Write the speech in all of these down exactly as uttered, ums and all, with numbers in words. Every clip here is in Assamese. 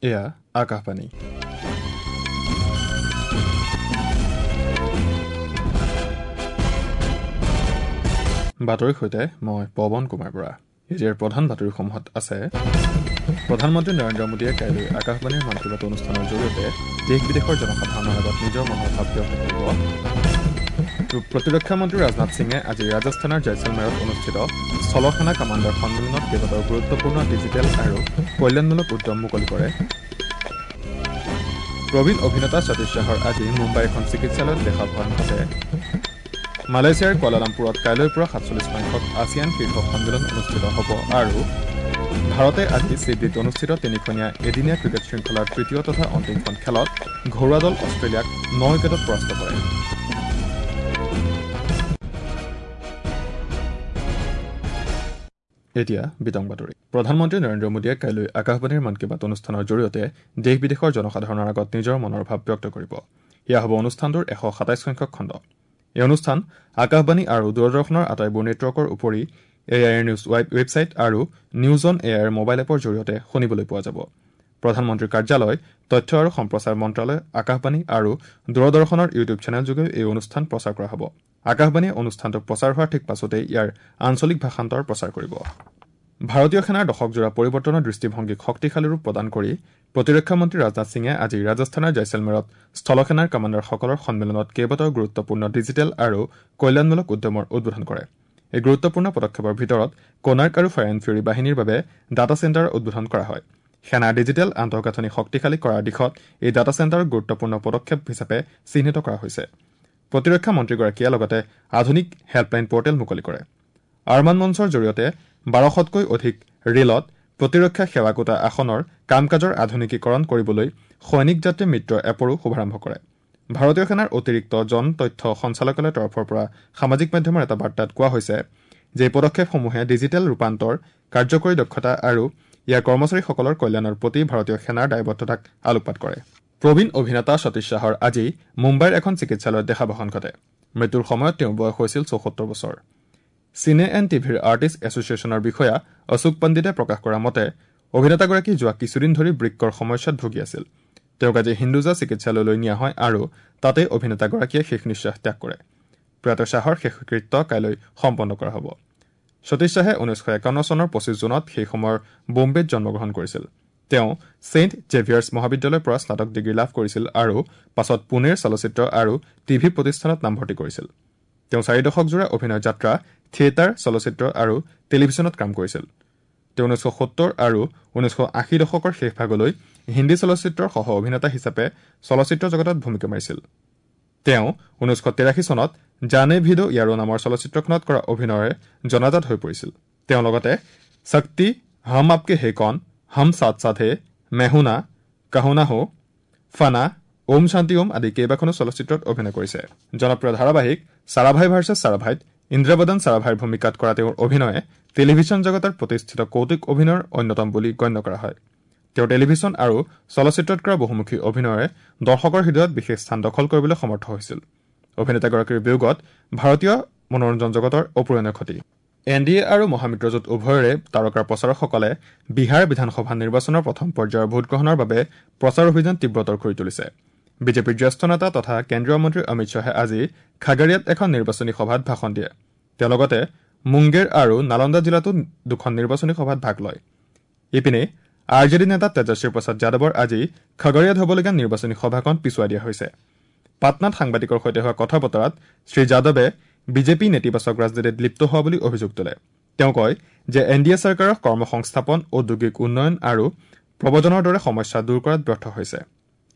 এয়া আকাশবাণী। বাতৰিৰ সৈতে মই পৱন কুমাৰ বৰা। এতিয়াৰ প্ৰধান বাতৰিসমূহত আছে: প্ৰধানমন্ত্ৰী নৰেন্দ্ৰ মোদীয়ে কাইলৈ আকাশবাণীৰ মন কী বাত অনুষ্ঠানৰ জৰিয়তে দেশ বিদেশৰ জনসাধাৰণৰ আগত নিজৰ মনৰ ভাৱ ব্যক্ত কৰিব। প্ৰতিৰক্ষা মন্ত্ৰী ৰাজনাথ সিঙে আজি ৰাজস্থানৰ জয়ছলমেৰত অনুষ্ঠিত স্থলসেনা কামাণ্ডাৰ সন্মিলনত কেইবাটাও গুৰুত্বপূৰ্ণ ডিজিটেল আৰু কল্যাণমূলক উদ্যম মুকলি কৰে। প্ৰবীণ অভিনেতা সতীশ শ্বাহৰ আজি মুম্বাইৰ এখন চিকিৎসালয়ত দেহাৱসান ঘটে। মালয়েছিয়াৰ কুৱালালামপুৰত কাইলৈৰ পৰা সাতচল্লিছ সংখ্যক আছিয়ান শীৰ্ষ সন্মিলন অনুষ্ঠিত হ'ব। আৰু ভাৰতে আজি ছিডনীত অনুষ্ঠিত তিনিখনীয়া এদিনীয়া ক্ৰিকেট শৃংখলাৰ তৃতীয় তথা অন্তিমখন খেলত ঘৰুৱা দল অষ্ট্ৰেলিয়াক ন উইকেটত পৰাস্ত কৰে। এতিয়া বিতং বাতৰি। প্ৰধানমন্ত্ৰী নৰেন্দ্ৰ মোদীয়ে কাইলৈ আকাশবাণীৰ মন কী বাত অনুষ্ঠানৰ জৰিয়তে দেশ বিদেশৰ জনসাধাৰণৰ আগত নিজৰ মনৰ ভাৱ ব্যক্ত কৰিব। এয়া হ'ব অনুষ্ঠানটোৰ এশ সাতাইছ সংখ্যক খণ্ড। এই অনুষ্ঠান আকাশবাণী আৰু দূৰদৰ্শনৰ আটাইবোৰ নেটৱৰ্কৰ উপৰি এ I R news website আৰু news on A I R mobile এপৰ জৰিয়তে শুনিবলৈ পোৱা যাব। প্ৰধানমন্ত্ৰীৰ কাৰ্যালয়, তথ্য আৰু সম্প্ৰচাৰ মন্ত্ৰালয়, আকাশবাণী আৰু দূৰদৰ্শনৰ ইউটিউব চেনেলযোগেও এই অনুষ্ঠান প্ৰচাৰ কৰা হ'ব। আকাশবাণীয়ে অনুষ্ঠানটো প্ৰচাৰ হোৱাৰ ঠিক পাছতেই ইয়াৰ আঞ্চলিক ভাষান্তৰ প্ৰচাৰ কৰিব। ভাৰতীয় সেনাৰ দশকজোৰা পৰিৱৰ্তনৰ দৃষ্টিভংগীক শক্তিশালী ৰূপ প্ৰদান কৰি প্ৰতিৰক্ষা মন্ত্ৰী ৰাজনাথ সিঙে আজি ৰাজস্থানৰ জয়ছলমেৰত স্থলসেনাৰ কামাণ্ডাৰসকলৰ সন্মিলনত কেইবাটাও গুৰুত্বপূৰ্ণ ডিজিটেল আৰু কল্যাণমূলক উদ্যমৰ উদ্বোধন কৰে। এই গুৰুত্বপূৰ্ণ পদক্ষেপৰ ভিতৰত কোনাৰ্ক আৰু ফায়াৰ এণ্ড ফিউৰী বাহিনীৰ বাবে ডাটা চেণ্টাৰৰ উদ্বোধন কৰা হয়। সেনাৰ ডিজিটেল আন্তঃগাঁথনি শক্তিশালী কৰাৰ দিশত এই ডাটা চেণ্টাৰক গুৰুত্বপূৰ্ণ পদক্ষেপ হিচাপে চিহ্নিত কৰা হৈছে। প্ৰতিৰক্ষা মন্ত্ৰীগৰাকীয়ে লগতে আধুনিক হেল্পলাইন পৰ্টেল মুকলি কৰে। আৰমান মঞ্চৰ জৰিয়তে বাৰশতকৈ অধিক ৰেলত প্ৰতিৰক্ষা সেৱা কোটা আসনৰ কাম কাজৰ আধুনিকীকৰণ কৰিবলৈ সৈনিক যাত্ৰী মিত্ৰ এপৰো শুভাৰম্ভ কৰে। ভাৰতীয় সেনাৰ অতিৰিক্ত জন তথ্য সঞ্চালকালয়ৰ তৰফৰ পৰা সামাজিক মাধ্যমৰ এটা বাৰ্তাত কোৱা হৈছে যে এই পদক্ষেপসমূহে ডিজিটেল ৰূপান্তৰ, কাৰ্যকৰী দক্ষতা আৰু ইয়াৰ কৰ্মচাৰীসকলৰ কল্যাণৰ প্ৰতি ভাৰতীয় সেনাৰ দায়বদ্ধতাক আলোকপাত কৰে। প্ৰবীণ অভিনেতা সতীশ শ্বাহৰ আজি মুম্বাইৰ এখন চিকিৎসালয়ত দেহাৱসান ঘটে। মৃত্যুৰ সময়ত তেওঁৰ বয়স হৈছিল চৌসত্তৰ বছৰ। চিনে এণ্ড টিভিৰ আৰ্টিষ্ট এছ'চিয়েশ্যনৰ বিষয়া অশোক পণ্ডিতে প্ৰকাশ কৰা মতে অভিনেতাগৰাকী যোৱা কিছুদিন ধৰি বৃক্কৰ সমস্যাত ভুগি আছিল। তেওঁক আজি হিন্দুজা চিকিৎসালয়লৈ নিয়া হয় আৰু তাতেই অভিনেতাগৰাকীয়ে শেষ নিশ্বাস ত্যাগ কৰে। প্ৰয়াত শ্বাহৰ শেষকৃত্য কাইলৈ সম্পন্ন কৰা হ'ব। সতীশ শ্বাহে ঊনৈছশ একাৱন্ন চনৰ পঁচিছ জুনত সেই সময়ৰ বোম্বেত জন্মগ্ৰহণ কৰিছিল। তেওঁ ছেইণ্ট জেভিয়াৰ্ছ মহাবিদ্যালয়ৰ পৰা স্নাতক ডিগ্ৰী লাভ কৰিছিল আৰু পাছত পুনেৰ চলচ্চিত্ৰ আৰু টিভি প্ৰতিষ্ঠানত নামভৰ্তি কৰিছিল। তেওঁ চাৰি দশকজোৰা অভিনয় যাত্ৰা থিয়েটাৰ, চলচ্চিত্ৰ আৰু টেলিভিছনত কাম কৰিছিল। তেওঁ ঊনৈছশ সত্তৰ আৰু ঊনৈছশ আশী দশকৰ শেষ ভাগলৈ হিন্দী চলচ্চিত্ৰৰ সহ অভিনেতা হিচাপে চলচ্চিত্ৰ জগতত ভূমিকা মাৰিছিল। তেওঁ ঊনৈছশ তেৰাশী চনত জানে ভিডো ইয়াৰো নামৰ চলচ্চিত্ৰখনত কৰা অভিনয়েৰে জনাজাত হৈ পৰিছিল। তেওঁ লগতে শক্তি, হম আপকে হে কন, হম সাথ সাথ হে, মেহুনা, কাহোনা হো, ফানা, ওম শান্তি ওম আদি কেইবাখনো চলচ্চিত্ৰত অভিনয় কৰিছে। জনপ্ৰিয় ধাৰাবাহিক সাৰাভাই ভাৰ্চেছ সাৰাভাইত ইন্দ্ৰবদন সাৰাভাইৰ ভূমিকাত কৰা তেওঁৰ অভিনয়ে টেলিভিছন জগতৰ প্ৰতিষ্ঠিত কৌতুক অভিনয়ৰ অন্যতম বুলি গণ্য কৰা হয়। তেওঁ টেলিভিছন আৰু চলচ্চিত্ৰত কৰা বহুমুখী অভিনয়েৰে দৰ্শকৰ হৃদয়ত বিশেষ স্থান দখল কৰিবলৈ সমৰ্থ হৈছিল। অভিনেতাগৰাকীৰ বিয়োগত ভাৰতীয় মনোৰঞ্জন জগতৰ অপূৰণীয় ক্ষতি। এন ডি এ আৰু মহামিত্ৰজোঁট উভয়ৰে তাৰকা প্ৰচাৰকসকলে বিহাৰ বিধানসভা নিৰ্বাচনৰ প্ৰথম পৰ্যায়ৰ ভোটগ্ৰহণৰ বাবে প্ৰচাৰ অভিযান তীব্ৰতৰ কৰি তুলিছে। বিজেপিৰ জ্যেষ্ঠ নেতা তথা কেন্দ্ৰীয় মন্ত্ৰী অমিত শ্বাহে আজি খাগাৰিয়াত এখন নিৰ্বাচনী সভাত ভাষণ দিয়ে। তেওঁ লগতে মুংগেৰ আৰু নালন্দা জিলাতো দুখন নিৰ্বাচনী সভাত ভাগ লয়। ইপিনে আৰ জে ডি নেতা তেজস্বী প্ৰসাদ যাদৱৰ আজি খাগৰিয়াত হ'বলগীয়া নিৰ্বাচনী সভাখন পিছুৱাই দিয়া হৈছে। পাটনাত সাংবাদিকৰ সৈতে হোৱা কথা বতৰাত শ্ৰীযাদৱে বিজেপি নেতিবাচক ৰাজনীতিত লিপ্ত হোৱা বুলি অভিযোগ তোলে। তেওঁ কয় যে এন ডি এ চৰকাৰৰ কৰ্মসংস্থাপন, ঔদ্যোগিক উন্নয়ন আৰু প্ৰব্ৰজনৰ দৰে সমস্যা দূৰ কৰাত ব্যৰ্থ হৈছে।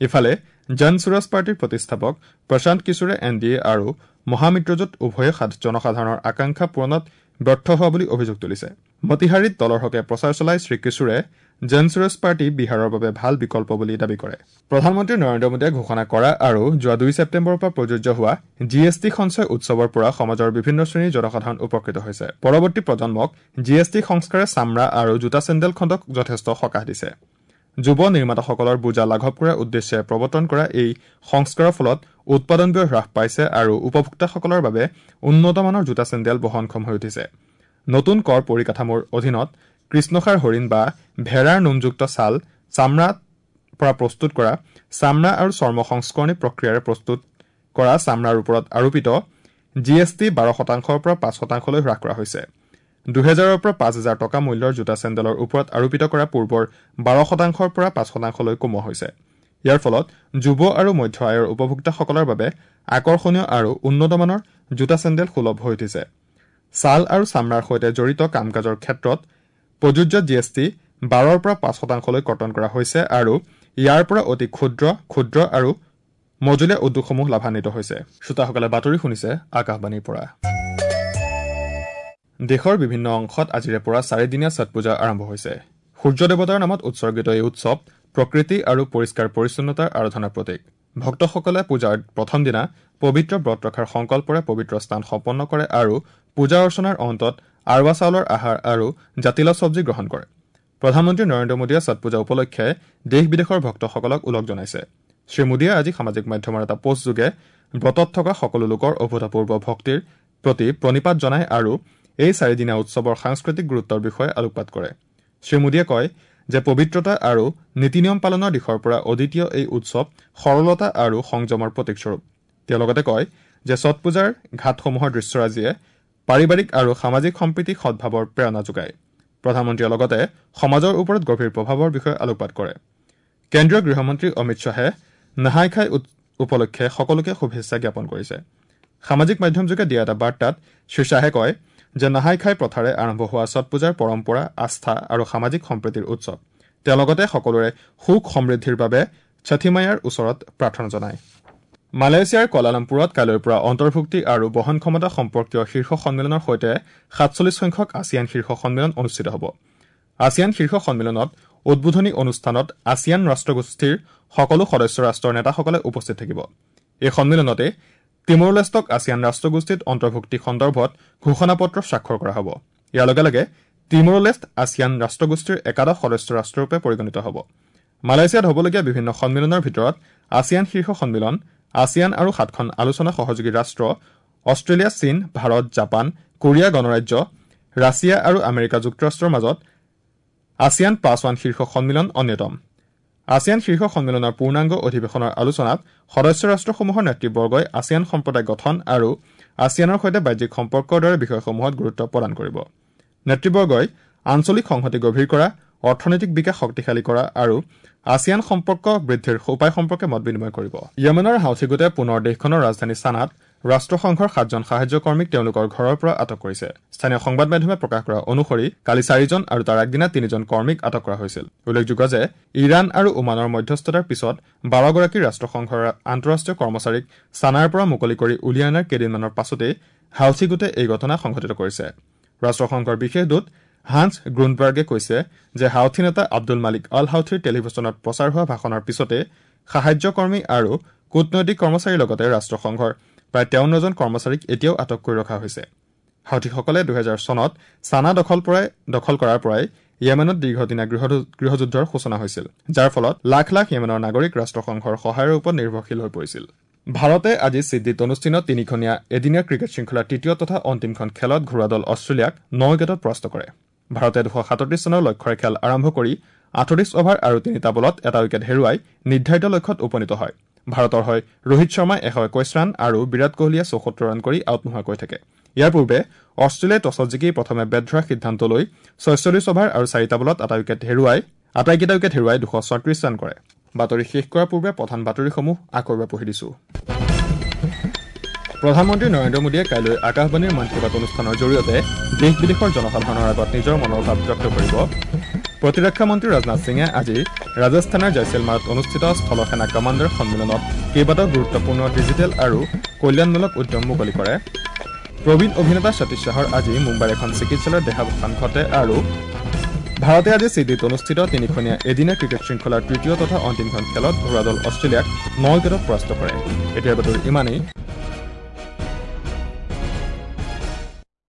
ইফালে জন সুৰাজ পাৰ্টীৰ প্ৰতিষ্ঠাপক প্ৰশান্ত কিশোৰে এন ডি এ আৰু মহামিত্ৰজোঁট উভয়ে জনসাধাৰণৰ আকাংক্ষা পূৰণত ব্যৰ্থ হোৱা বুলি অভিযোগ তুলিছে। মতিহাৰীত দলৰ হকে প্ৰচাৰ চলাই শ্ৰীকিশোৰে জন সুৰাজ পাৰ্টী বিহাৰৰ বাবে ভাল বিকল্প বুলি দাবী কৰে। প্ৰধানমন্ত্ৰী নৰেন্দ্ৰ মোদীয়ে ঘোষণা কৰা আৰু যোৱা দুই ছেপ্টেম্বৰৰ পৰা প্ৰযোজ্য হোৱা জি এছ টি সঞ্চয় উৎসৱৰ পৰা সমাজৰ বিভিন্ন শ্ৰেণীৰ জনসাধাৰণ উপকৃত হৈছে। পৰৱৰ্তী প্ৰজন্মক জি এছ টি সংস্কাৰে চামৰা আৰু জোতা চেণ্ডেল খণ্ডক যথেষ্ট সকাহ দিছে। যুৱ নিৰ্মাতাসকলৰ বোজা লাঘৱ কৰাৰ উদ্দেশ্যে প্ৰৱৰ্তন কৰা এই সংস্কাৰৰ ফলত উৎপাদন ব্যয় হ্ৰাস পাইছে আৰু উপভোক্তাসকলৰ বাবে উন্নত মানৰ জোতা চেণ্ডেল বহনক্ষম হৈ উঠিছে। নতুন কৰ পৰিকাঠামোৰ অধীনত কৃষ্ণসাৰ হৰিণ বা ভেড়াৰ নোমযুক্ত ছাল, চামৰা পৰা প্ৰস্তুত কৰা চামৰা আৰু চৰ্ম সংস্কৰণী প্ৰক্ৰিয়াৰে প্ৰস্তুত কৰা চামৰাৰ ওপৰত আৰোপিত জি এছ টি বাৰ শতাংশৰ পৰা পাঁচ শতাংশলৈ হ্ৰাস কৰা হৈছে। দুহেজাৰৰ পৰা পাঁচ হাজাৰ টকা মূল্যৰ জোতা চেণ্ডেলৰ ওপৰত আৰোপিত কৰা পূৰ্বৰ বাৰ শতাংশৰ পৰা পাঁচ শতাংশলৈ কমোৱা হৈছে। ইয়াৰ ফলত যুৱ আৰু মধ্য আয়ৰ উপভোক্তাসকলৰ বাবে আকৰ্ষণীয় আৰু উন্নতমানৰ জোতা চেণ্ডেল সুলভ হৈ উঠিছে। ছাল আৰু চামৰাৰ সৈতে জড়িত কাম কাজৰ ক্ষেত্ৰত প্ৰযোজ্য জি এছ টি বাৰৰ পৰা পাঁচ শতাংশলৈ কৰ্তন কৰা হৈছে আৰু ইয়াৰ পৰা অতি ক্ষুদ্ৰ, ক্ষুদ্ৰ আৰু মজলীয়া উদ্যোগসমূহ লাভান্বিত হৈছে। শ্ৰোতাসকলে বাতৰি শুনিছে আকাশবাণীৰ পৰা। দেশৰ বিভিন্ন অংশত আজিৰে পৰা চাৰিদিনীয়া ছট পূজা আৰম্ভ হৈছে। সূৰ্য দেৱতাৰ নামত উৎসৰ্গিত এই উৎসৱ প্ৰকৃতি আৰু পৰিষ্কাৰ পৰিচ্ছন্নতাৰ আৰাধনাৰ প্ৰতীক। ভক্তসকলে পূজাৰ প্ৰথম দিনা পবিত্ৰ ব্ৰত ৰখাৰ সংকল্পৰে পবিত্ৰ স্নান সম্পন্ন কৰে আৰু পূজা অৰ্চনাৰ অন্তত আৰৱা চাউলৰ আহাৰ আৰু জাতিলাও চব্জি গ্ৰহণ কৰে। প্ৰধানমন্ত্ৰী নৰেন্দ্ৰ মোদীয়ে ছট পূজা উপলক্ষে দেশ বিদেশৰ ভক্তসকলক ওলগ জনাইছে। শ্ৰীমোদীয়ে আজি সামাজিক মাধ্যমৰ এটা পোষ্টযোগে ব্ৰতত থকা সকলো লোকৰ অভূতপূৰ্ব ভক্তিৰ প্ৰতি প্ৰণিপাত জনায় আৰু এই চাৰিদিনীয়া উৎসৱৰ সাংস্কৃতিক গুৰুত্বৰ বিষয়ে আলোকপাত কৰে। শ্ৰীমোদীয়ে কয় যে পবিত্ৰতা আৰু নীতি নিয়ম পালনৰ দিশৰ পৰা অদ্বিতীয় এই উৎসৱ সৰলতা আৰু সংযমৰ প্ৰতীকস্বৰূপ। তেওঁ লগতে কয় যে ছট পূজাৰ ঘাটসমূহৰ দৃশ্যৰাজিয়ে পাৰিবাৰিক আৰু সামাজিক সম্প্ৰীতি সদ্ভাৱৰ প্ৰেৰণা যোগায়। প্ৰধানমন্ত্ৰীয়ে লগতে সমাজৰ ওপৰত গভীৰ প্ৰভাৱৰ বিষয়ে আলোকপাত কৰে। কেন্দ্ৰীয় গৃহমন্ত্ৰী অমিত শ্বাহে নহাই খাই উপলক্ষে সকলোকে শুভেচ্ছা জ্ঞাপন কৰিছে। সামাজিক মাধ্যমযোগে দিয়া এটা বাৰ্তাত শ্ৰী শ্বাহে কয় যে নহাই খাই প্ৰথাৰে আৰম্ভ হোৱা ছট পূজাৰ পৰম্পৰা আস্থা আৰু সামাজিক সম্প্ৰীতিৰ উৎসৱ। তেওঁ লগতে সকলোৰে সুখ সমৃদ্ধিৰ বাবে ছঠি মাইয়াৰ ওচৰত প্ৰাৰ্থনা জনায়। মালয়েছিয়াৰ কুৱালালামপুৰত কাইলৈৰ পৰা অন্তৰ্ভুক্তি আৰু বহনক্ষমতা সম্পৰ্কীয় শীৰ্ষ সন্মিলনৰ সৈতে সাতচল্লিছ সংখ্যক আছিয়ান শীৰ্ষ সন্মিলন অনুষ্ঠিত হ'ব। আছিয়ান শীৰ্ষ সন্মিলনত উদ্বোধনী অনুষ্ঠানত আছিয়ান ৰাষ্ট্ৰগোষ্ঠীৰ সকলো সদস্য ৰাষ্ট্ৰৰ নেতাসকলে উপস্থিত থাকিব। এই সন্মিলনতে তিমুৰ-লেষ্টক আছিয়ান ৰাষ্ট্ৰগোষ্ঠীত অন্তৰ্ভুক্তি সন্দৰ্ভত ঘোষণাপত্ৰ স্বাক্ষৰ কৰা হ'ব। ইয়াৰ লগে লগে তিমুৰ-লেষ্ট আছিয়ান ৰাষ্ট্ৰগোষ্ঠীৰ একাদশ সদস্য ৰাষ্ট্ৰৰূপে পৰিগণিত হ'ব। মালয়েছিয়াত হ'বলগীয়া বিভিন্ন সন্মিলনৰ ভিতৰত আছিয়ান শীৰ্ষ সন্মিলন, আছিয়ান আৰু সাতখন আলোচনা সহযোগী ৰাষ্ট্ৰ অষ্ট্ৰেলিয়া, চীন, ভাৰত, জাপান, কোৰিয়া গণৰাজ্য, ৰাছিয়া আৰু আমেৰিকা যুক্তৰাষ্ট্ৰৰ মাজত আছিয়ান প্লাছ ওৱান শীৰ্ষ সন্মিলন অন্যতম। আছিয়ান শীৰ্ষ সন্মিলনৰ পূৰ্ণাংগ অধিৱেশনৰ আলোচনাত সদস্য ৰাষ্ট্ৰসমূহৰ নেতৃবৰ্গই আছিয়ান সম্প্ৰদায় গঠন আৰু আছিয়ানৰ সৈতে বাহ্যিক সম্পৰ্কৰ দৰে বিষয়সমূহত গুৰুত্ব প্ৰদান কৰিব। নেতৃবৰ্গই আঞ্চলিক সংহতি গভীৰ কৰা, অৰ্থনৈতিক বিকাশ শক্তিশালী কৰা আৰু আছিয়ান সম্পৰ্ক বৃদ্ধিৰ উপায় সম্পৰ্কে মত বিনিময় কৰিব। য়েমেনৰ হাউথি গোটে পুনৰ দেশখনৰ ৰাজধানী ছানাত ৰাষ্ট্ৰসংঘৰ সাতজন সাহায্যকৰ্মীক তেওঁলোকৰ ঘৰৰ পৰা আটক কৰিছে। স্থানীয় সংবাদ মাধ্যমে প্ৰকাশ কৰা অনুসৰি কালি চাৰিজন আৰু তাৰ আগদিনা তিনিজন কৰ্মীক আটক কৰা হৈছিল। উল্লেখযোগ্য যে ইৰাণ আৰু ওমানৰ মধ্যস্থতাৰ পিছত বাৰগৰাকী ৰাষ্ট্ৰসংঘৰ আন্তঃৰাষ্ট্ৰীয় কৰ্মচাৰীক ছানাৰ পৰা মুকলি কৰি উলিয়াই অনাৰ কেইদিনমানৰ পাছতেই হাউথি গোটে এই ঘটনা সংঘটিত কৰিছে। ৰাষ্ট্ৰসংঘৰ বিশেষ দূত হান্স গ্ৰুণ্ডবাৰ্গে কৈছে যে হাউথি নেতা আব্দুল মালিক আল হাউথিৰ টেলিভিছনত প্ৰচাৰ হোৱা ভাষণৰ পিছতে সাহায্যকৰ্মী আৰু কূটনৈতিক কৰ্মচাৰীৰ লগতে ৰাষ্ট্ৰসংঘৰ প্ৰায় তেৱন্নজন কৰ্মচাৰীক এতিয়াও আটক কৰি ৰখা হৈছে। হাউথিসকলে দুহেজাৰ চনত ছানা দখল পৰাই দখল কৰাৰ পৰাই য়েমেনত দীৰ্ঘদিনীয়া গৃহযুদ্ধৰ সূচনা হৈছিল, যাৰ ফলত লাখ লাখ য়েমেনৰ নাগৰিক ৰাষ্ট্ৰসংঘৰ সহায়ৰ ওপৰত নিৰ্ভৰশীল হৈ পৰিছিল। ভাৰতে আজি ছিডনীত অনুষ্ঠিত তিনিখনীয়া এদিনীয়া ক্ৰিকেট শৃংখলাৰ তৃতীয় তথা অন্তিমখন খেলত ঘৰুৱা দল অষ্ট্ৰেলিয়াক ন উইকেটত পৰাস্ত কৰে। ভাৰতে দুশ সাতত্ৰিছ ৰানৰ লক্ষ্যৰে খেল আৰম্ভ কৰি আঠত্ৰিছ অভাৰ আৰু তিনিটা বলত এটা উইকেট হেৰুৱাই নিৰ্ধাৰিত লক্ষ্যত উপনীত হয়। ভাৰতৰ হৈ ৰোহিত শৰ্মাই এশ একৈশ ৰান আৰু বিৰাট কোহলীয়ে চৌসত্তৰ ৰান কৰি আউট নোহোৱাকৈ থাকে। ইয়াৰ পূৰ্বে অষ্ট্ৰেলিয়াই টছত জিকি প্ৰথমে বেট ধৰাৰ সিদ্ধান্ত লৈ ছয়চল্লিছ অভাৰ আৰু চাৰিটা বলত এটা উইকেট হেৰুৱাই আটাইকেইটা উইকেট হেৰুৱাই দুশ ছয়ত্ৰিছ ৰান কৰে। বাতৰি শেষ কৰাৰ পূৰ্বে প্ৰধান বাতৰিসমূহ আকৌ এবাৰ পঢ়ি দিছো। প্ৰধানমন্ত্ৰী নৰেন্দ্ৰ মোদীয়ে কাইলৈ আকাশবাণীৰ মন কী বাত অনুষ্ঠানৰ জৰিয়তে দেশ বিদেশৰ জনসাধাৰণৰ আগত নিজৰ মনৰ ভাৱ ব্যক্ত কৰিব। প্ৰতিৰক্ষা মন্ত্ৰী ৰাজনাথ সিঙে আজি ৰাজস্থানৰ জয়ছেলমাৰত অনুষ্ঠিত স্থলসেনা কমাণ্ডাৰ সন্মিলনত কেইবাটাও গুৰুত্বপূৰ্ণ ডিজিটেল আৰু কল্যাণমূলক উদ্যম মুকলি কৰে। প্ৰবীণ অভিনেতা সতীশ শ্বাহৰ আজি মুম্বাইৰ এখন চিকিৎসালয়ত দেহাৱসান ঘটে আৰু ভাৰতে আজি ছিডনীত অনুষ্ঠিত তিনিখনীয়া এদিনীয়া ক্ৰিকেট শৃংখলাৰ তৃতীয় তথা অন্তিমখন খেলত ঘৰুৱা দল অষ্ট্ৰেলিয়াক ন উইকেটত পৰাস্ত কৰে। এতিয়াৰ বাতৰি ইমানেই।